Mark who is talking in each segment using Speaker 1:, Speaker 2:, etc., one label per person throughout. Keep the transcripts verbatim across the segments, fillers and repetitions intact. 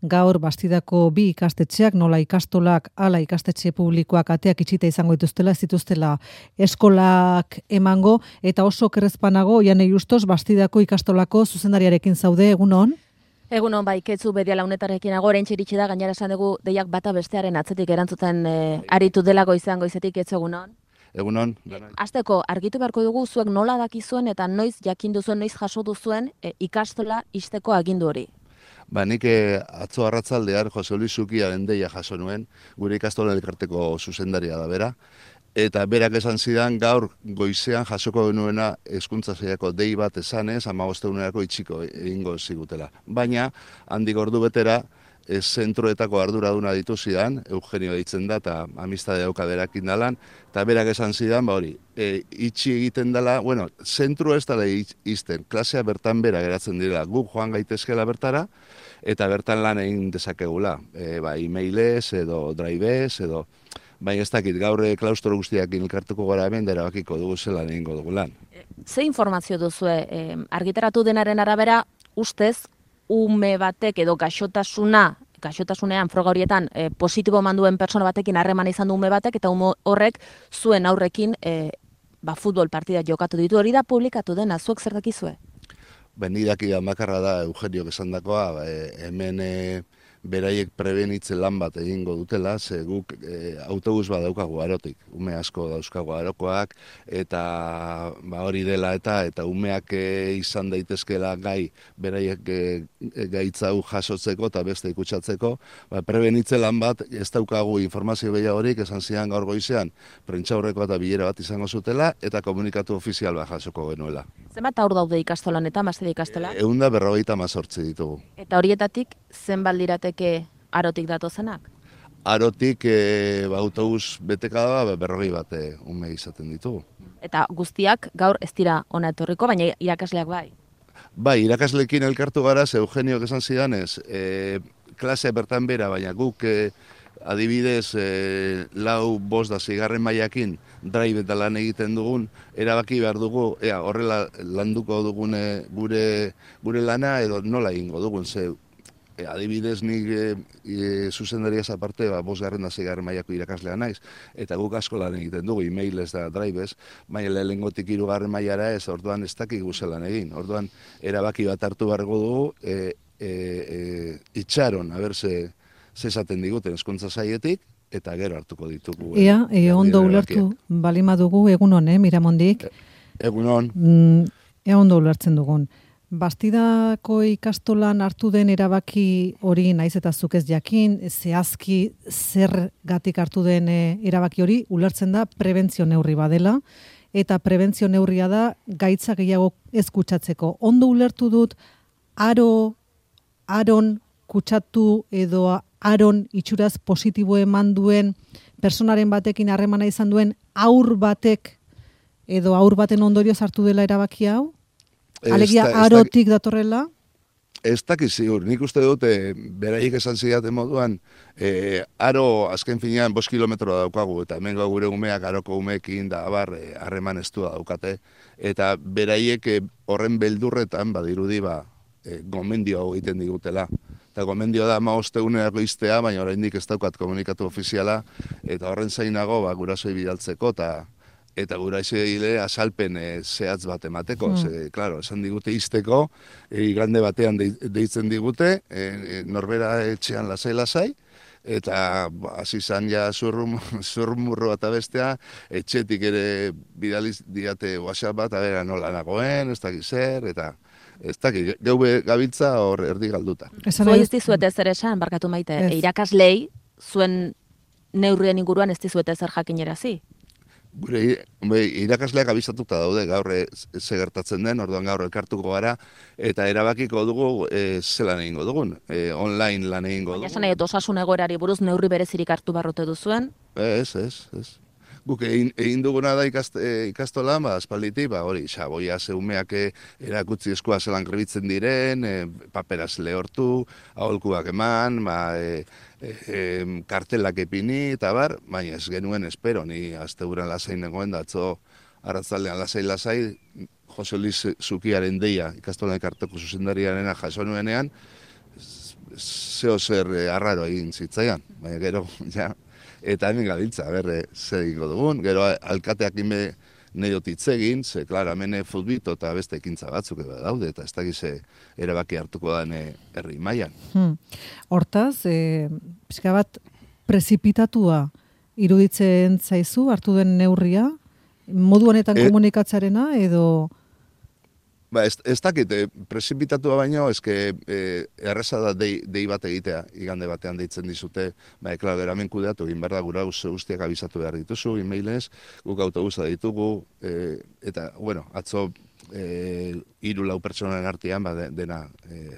Speaker 1: gaur Bastidako bi ikastetxeak, nola ikastolak, ala ikastetxe publikoak ateak itxita izango dituztela, ez dituztela eskolak emango, eta oso kerrezpanago, Janei Justos, Bastidako ikastolako zuzendariarekin zaude, egunon?
Speaker 2: Egunon, bai, ketzu bedia launetarekin agora entxiritsi da, gainera esan dugu deiak bata bestearen atzetik erantzuten e, aritu delago izan goizetik, etzu egunon?
Speaker 3: Egunon.
Speaker 2: Azteko, argitu beharko dugu zuek nola dakizuen eta noiz jakin duzuen, noiz jaso duzuen e, ikastola ixteko agindu hori.
Speaker 3: Ba, nik eh, atzo arratsaldean Jose Luis Zukiaren deia jaso nuen, gure ikastola elkarteko zuzendaria da bera, eta berak esan zidan gaur goizean jasoko genuena hezkuntza sailako dei bat esanez, hamabostegunerako itxiko egingo zigutela. Baina, handik ordu betera, e, zentroetako arduraduna ditu zidan, Eugenio deitzen da, eta amistade dauka berakin dalan, eta berak esan zidan, ba hori, e, itxi egiten dela, bueno, zentru ez dela izten, klasea bertan bera geratzen direla, guk joan gaitezkela bertara, eta bertan lan egin dezakegula, e, ba, e-mailez, edo drivez, edo, baina ez dakit, gaur klaustro guztiak elkartuko gara hemen, dara bakiko dugu zelan egingo dugu lan.
Speaker 2: Ze informazio duzue, e, argitaratu denaren arabera, ustez, ume batek edo gaixotasuna, gaixotasunean froga horietan e, positibo manduen pertsona batekin harreman izan du ume batek, eta ume horrek zuen aurrekin e, ba, futbol partida jokatu ditu, hori da publikatu dena, zuek zer dakizue?
Speaker 3: Ben, idaki bakarra da Eugenio esandakoa, e, hemen e, beraiek prebenitzen lan bat egingo dutela, ze guk e, autobus bat daukagu arotik, ume asko dauzkagu arokoak, eta ba, hori dela eta eta umeak e, izan daitezkela gai, beraiek e, gaitzau jasotzeko eta beste ikutsatzeko, ba, prebenitzen lan bat ez daukagu informazio gehiagorik, esan zidan gaur goizean, prentsaurreko eta bilera bat izango zutela, eta komunikatu ofizial bat jasoko genuela.
Speaker 2: Zenbat aur daude ikastolan eta mazte ikastola?
Speaker 3: Ehun da berrogeita hamazortzi ditugu.
Speaker 2: Eta horietatik zenbat lirateke arotik datozenak?
Speaker 3: Arotik e, ba, autobus beteka da berrogei bat e, ume izaten ditugu.
Speaker 2: Eta guztiak gaur ez dira ona etorriko, baina irakasleak bai?
Speaker 3: Bai, irakasleekin elkartu gara, ze Eugenio esan zidanez, e, klase bertan bera, baina guk e, adibidez e, lau bost da zigarren mailakin drive eta lan egiten dugun, erabaki behar dugu, ea, horrela landuko dugun e, gure, gure lana edo nola egingo dugun, ze e, adibidez nik e, e, zuzendariaz aparte, ba, bost garren da zigarren mailako irakaslea naiz, eta guk asko lan egiten dugu, e-mailez da drivez, baina lehengotik hirugarren mailara ez, orduan ez dakik guzelan egin, orduan erabaki bat hartu beharko dugu, e, e, e, itxaron, haber ze, ze esaten diguten hezkuntza sailetik, eta gero hartuko ditugu.
Speaker 1: Ea, e, ondo ulertu, balima dugu, egunon, eh, Miramondik.
Speaker 3: Egunon.
Speaker 1: Mm, ea ondo ulertzen dugun. Bastidako ikastolan hartu den erabaki hori naiz eta zuk ez jakin, zehazki zergatik hartu den e, erabaki hori, ulertzen da prebentzio neurri badela, eta prebentzio neurria da gaitza gehiago ez kutsatzeko. Ondo ulertu dut, aro, aron kutsatu edo aron itxuraz positibo eman duen personaren batekin harremana izan duen aur batek edo aur baten ondorioz hartu dela erabaki hau? Alegia arotik datorrela?
Speaker 3: Ez dakiz ziur, nik uste dut, e, beraiek esan zidaten moduan, e, aro azken finean bost kilometro daukagu, eta hemen gure umeak aroko umeekin da abar harreman e, estua daukate, eta beraiek e, horren beldurretan, badirudi, ba, e, gomendio hau egiten digutela. Eta gomendio da hamabostegunerako iztea, baina oraindik ez daukat komunikatu ofiziala, eta horren zainago ba, gurasoi bidaltzeko, eta eta gurasoile azalpen e, zehatz bat emateko. Mm. Ze, claro, esan digute izteko, e, igande batean de, deitzen digute, e, e, norbera etxean lasai-lasai, eta hasi izan ja zurrumurro eta bestea, etxetik ere bidaliz diate WhatsApp bat, abera nola nagoen, ez dakiz zer, eta ez dakit, geube gabiltza hor erdi galduta.
Speaker 2: Zua ez dizuete zer esan, barkatu maite, e, irakaslei, zuen neurrien inguruan ez dizuete zer jakinerazi?
Speaker 3: Gure irakasleak abizatuta daude gaur ze gertatzen den, orduan gaur elkartuko gara, eta erabakiko dugu e, zelan egingo dugun, e, online lan egingo dugu.
Speaker 2: Baina esan edo osasun egoerari buruz neurri berezirik hartu barrote duzuen?
Speaker 3: Ez, ez, ez. Guk egin, egin duguna da ikast, e, ikastolan, ba, aspalditik, ba, hori, xaboia zeumeak erakutzi eskua zelan grebitzen diren, e, paperaz lehortu, aholkuak eman, ba, e, e, e, kartelak epini, eta bar, baina ez genuen espero, ni asteburan lasai negoen, datzo arratzaldean lasai-lasai, Jose Luis Zukiaren deia, ikastolan ekarteko zuzendariarena jaso nuenean, zeo zer e, arraro egin zitzaian, baina gero, ja, eta hemen gabiltza, berre, zer egingo dugun, gero alkateak ime neot hitz egin, ze, klar, hemen futbito eta beste ekintza batzuk edo daude, eta ez dakize erabaki hartuko den herri mailan.
Speaker 1: Hmm. Hortaz, e, pixka bat prezipitatua iruditzen zaizu, hartu den neurria, modu honetan e, komunikatzearena, edo...
Speaker 3: Ba, ez, ez dakit, e, prezipitatua baino, eske e, erreza da dei, dei bat egitea, igande batean deitzen dizute, ba, eklar, geramen kudeatu, egin behar da, gura guztiak abizatu behar dituzu, e-mailez, guk autobusa ditugu, e, eta, bueno, atzo e, hiru lau pertsonen artean, ba, de, dena e,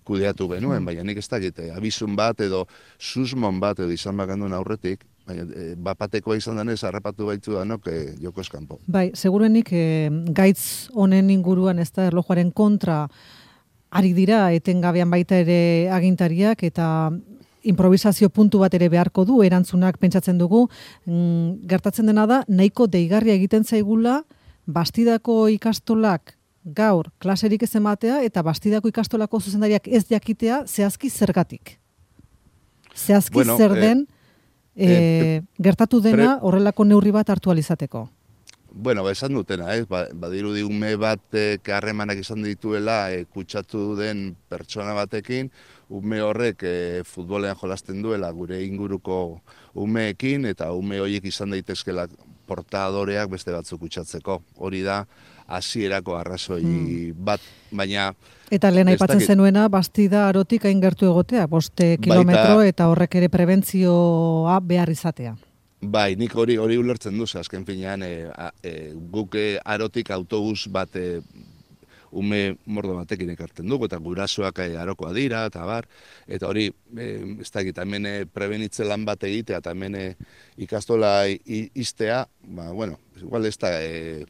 Speaker 3: kudeatu genuen, baina nik ez dakit, abizun bat edo susmon bat edo izan bakanduen aurretik, baina e, bapatekoa izan denez, harrapatu baitu danok e, joko eskanpo.
Speaker 1: Bai, segurenik e, gaitz honen inguruan ez da erlojuaren kontra ari dira etengabean baita ere agintariak eta improvisazio puntu bat ere beharko du, erantzunak pentsatzen dugu, mm, gertatzen dena da, nahiko deigarria egiten zaigula, Bastidako ikastolak gaur klaserik ez ematea eta Bastidako ikastolako zuzendariak ez jakitea zehazki zergatik. Zehazki
Speaker 3: bueno,
Speaker 1: zer den
Speaker 3: eh,
Speaker 1: e, gertatu dena
Speaker 3: pre...
Speaker 1: horrelako neurri bat hartu alizateko.
Speaker 3: Bueno, ba, esan dutena, ez? Ba, badirudi ume batek harremanak izan dituela e, kutsatu den pertsona batekin, ume horrek e, futbolean jolasten duela gure inguruko umeekin, eta ume horiek izan daitezkela portadoreak beste batzuk kutsatzeko. Hori da, hasierako arrazoi hmm. bat, baina...
Speaker 1: Eta lehen aipatzen dakit... zenuena, Bastida Arotik hain gertu egotea, boste kilometro baita... eta horrek ere prebentzioa behar izatea.
Speaker 3: Bai, nik hori hori ulertzen duz, azken finean, e, e, guk Arotik autobus bat e, ume mordo batekin ekartzen dugu, eta gurasoak e, arokoa dira, eta bar, eta hori, e, ez dakit, hemen prebenitze lan bat egitea, eta hemen ikastola iztea, ba, bueno, igual ez da e,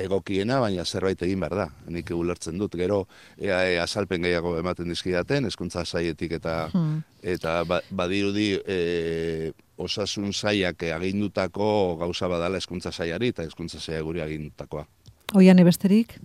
Speaker 3: egokiena, baina zerbait egin behar da, nik ulertzen dut, gero e, e, azalpen gehiago ematen dizkidaten, hezkuntza sailetik eta, hmm. eta ba, badirudi e, osasun saiak agindutako gauza badala hezkuntza saiari eta hezkuntza saia guri agindutakoa.
Speaker 1: Oian ebesterik?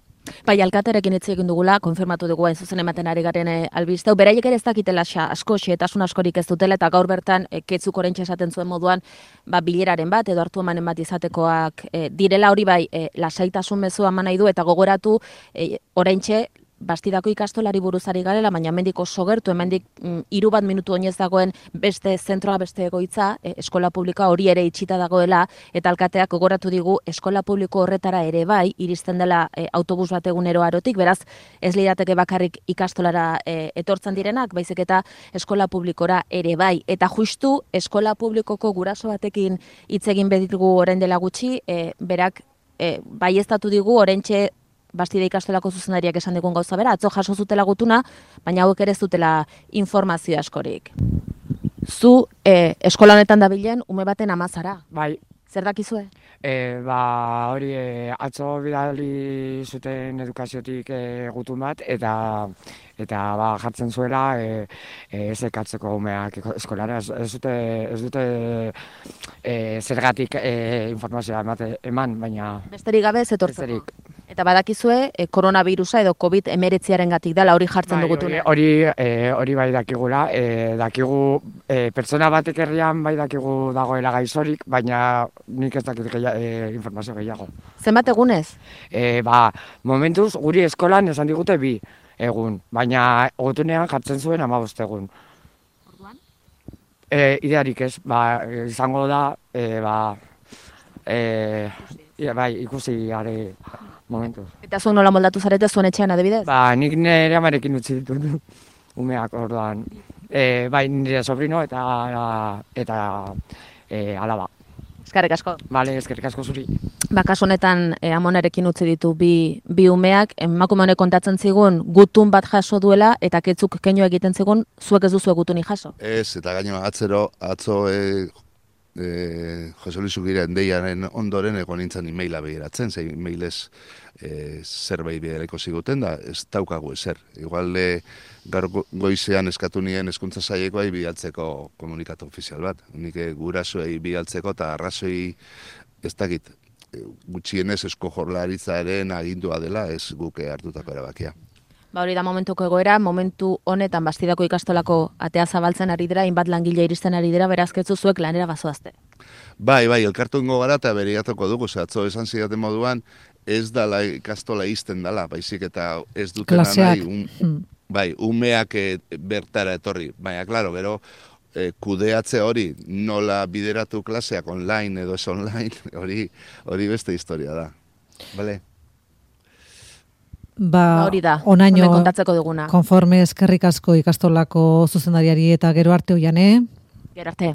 Speaker 2: Bai, alkaterekin hitz egin dugula, konfirmatu dugu hain zuzen ematen ari garen albisteu. Beraiek ere ez dakitela asko, xehetasun askorik ez dutela, eta gaur bertan e, ketzuk oraintxe esaten zuen moduan, ba, bileraren bat, edo hartu emanen bat izatekoak e, direla hori bai, e, lasaitasun mezua eman nahi du, eta gogoratu e, oraintxe, Bastidako ikastolari buruzari garela, baina hemendik oso gertu, hemendik mm, hiru bat minutu oinez dagoen beste zentroa, beste egoitza, e, eskola publikoa hori ere itxita dagoela, eta alkateak gogoratu digu eskola publiko horretara ere bai, iristen dela e, autobus bat egunero Arotik, beraz ez lirateke bakarrik ikastolara e, etortzen direnak, baizik eta eskola publikora ere bai, eta justu eskola publikoko guraso batekin hitz egin bedigu orain dela gutxi, e, berak e, baieztatu digu oraintxe Bastida ikastolako zuzendariak esan digun gauza bera, atzo jaso zutela gutuna, baina hauek ere ez dutela informazio askorik. Zu e, eskola honetan dabilen ume baten amazara.
Speaker 4: Bai.
Speaker 2: Zer dakizue?
Speaker 4: E, ba, hori, e, atzo bidali zuten edukaziotik e, gutun bat, eta eta ba, jartzen zuela e, e, ez ekatzeko umeak eskolara. Ez, ez dute, ez dute e, zergatik e, informazioa emate, eman, baina...
Speaker 2: Besterik gabe ez etortzeko. Eta badakizue, e, koronavirusa edo COVID emeretziaren gatik dela hori jartzen
Speaker 4: bai,
Speaker 2: dugutune.
Speaker 4: Hori, hori, e, hori bai dakigula, e, dakigu e, pertsona batek herrian bai dakigu dagoela gaizorik, baina nik ez dakit gehiago, e, informazio gehiago.
Speaker 2: Zenbat egunez?
Speaker 4: E, ba, momentuz guri eskolan esan digute bi egun, baina gutunean jartzen zuen hamabost egun.
Speaker 2: Orduan?
Speaker 4: E, idearik ez, ba, izango da, e, ba, e, ja, bai, ikusi gare momentuz.
Speaker 2: Eta zuen nola moldatu zarete zuen etxean adibidez?
Speaker 4: Ba, nik nire amarekin utzi ditut umeak orduan. E, bai, nire sobrino eta, eta e, alaba.
Speaker 2: Eskerrik asko.
Speaker 4: Bale, eskerrik asko zuri.
Speaker 2: Ba, kasu honetan e, amonarekin utzi ditu bi, bi umeak, emakume honek kontatzen zigun gutun bat jaso duela, eta ketzuk keinu egiten zigun, zuek ez duzu gutuni jaso.
Speaker 3: Ez, eta gaino atzero, atzo e, e, Jose Luis Ugiren deiaren ondoren egon nintzen e-maila behiratzen, ze e-mailez e, zerbait bidereko ziguten da, ez daukagu ezer. Igual e, gaur goizean eskatu nien hezkuntza sailekoai bidaltzeko komunikatu ofizial bat. Nik e, gurasoei bidaltzeko eta arrazoi ez dakit, gutxienez esko jorlaritzaren agindua dela ez guke hartutako erabakia.
Speaker 2: Ba hori da momentuko egoera, momentu honetan Bastidako ikastolako atea zabaltzen ari dira, inbat langile iristen ari dira, berazketzu zuek lanera bazoazte.
Speaker 3: Bai, bai, elkartungo gara eta beriatuko dugu, ze atzo esan zidaten moduan, ez dala ikastola izten dala, baizik eta ez dutena nahi, un, bai, umeak bertara etorri. Baina, klaro, gero, e, kudeatze hori, nola bideratu klaseak online edo ez online, hori, hori beste historia da. Bale?
Speaker 1: Ba,
Speaker 2: hori da,
Speaker 1: onaino
Speaker 2: kontatzeko duguna.
Speaker 1: Konforme eskerrik asko ikastolako zuzendariari eta gero arte oian, eh?
Speaker 2: Gero arte.